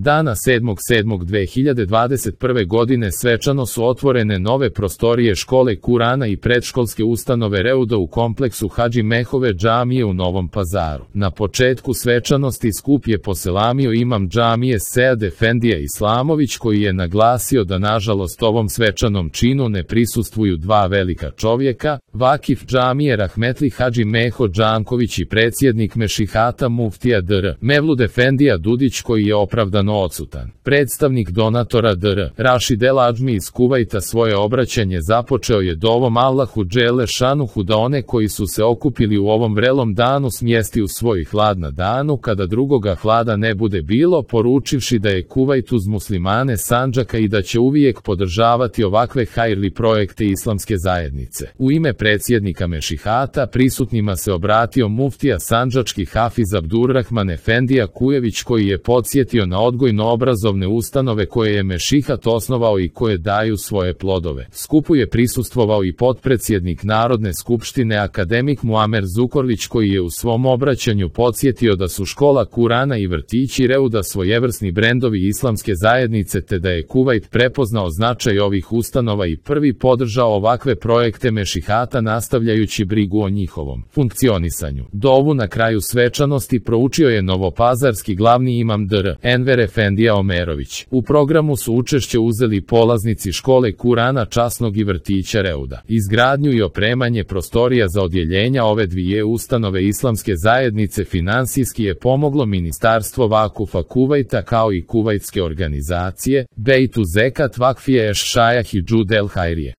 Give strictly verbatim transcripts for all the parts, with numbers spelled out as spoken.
Dana sedmog sedmog dve hiljade dvadeset prve. godine svečano su otvorene nove prostorije škole Kurana i predškolske ustanove Reuda u kompleksu Hadži Mehove džamije u Novom Pazaru. Na početku svečanosti skup je poselamio imam džamije Sead Efendija Islamović, koji je naglasio da nažalost ovom svečanom činu ne prisustvuju dva velika čovjeka, vakif džamije Rahmetli Hadži Meho Džanković i predsjednik Mešihata muftija dr. Mevlud Efendija Dudić, koji je opravdano odsutan. Predstavnik donatora dr. Rašid El Adžmi iz Kuvajta svoje obraćanje započeo je dovom Allahu dželle šanuhu da one koji su se okupili u ovom vrelom danu smjesti u svoj hlad na danu kada drugoga hlada ne bude bilo, poručivši da je Kuvajt uz muslimane Sandžaka i da će uvijek podržavati ovakve hajrli projekte islamske zajednice. U ime predsjednika Mešihata prisutnima se obratio muftija sandžački Hafiz Abdurrahman Efendija Kujević, koji je podsjetio na odgojno-obrazovne ustanove koje je Mešihat osnovao i koje daju svoje plodove. Skupu je prisustvovao i potpredsjednik Narodne skupštine akademik Muamer Zukorlić, koji je u svom obraćanju podsjetio da su škola Kurana i vrtići Reuda svojevrsni brendovi islamske zajednice, te da je Kuvajt prepoznao značaj ovih ustanova i prvi podržao ovakve projekte Mešihata, nastavljajući brigu o njihovom funkcionisanju. Dovu na kraju svečanosti proučio je novopazarski glavni imam dr. Enver Efendija Omerović. U programu su učešće uzeli polaznici škole Kurana časnog i vrtića Reuda. Izgradnju i opremanje prostorija za odjeljenja ove dvije ustanove islamske zajednice finansijski je pomoglo Ministarstvo Vakufa Kuvajta kao i kuvajtske organizacije Bejtu Zekat Vakfije Eš Šajah i Džud El Hajrije.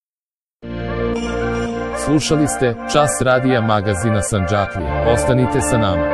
Slušali ste Čas radija magazina Sandžaklija. Ostanite sa nama.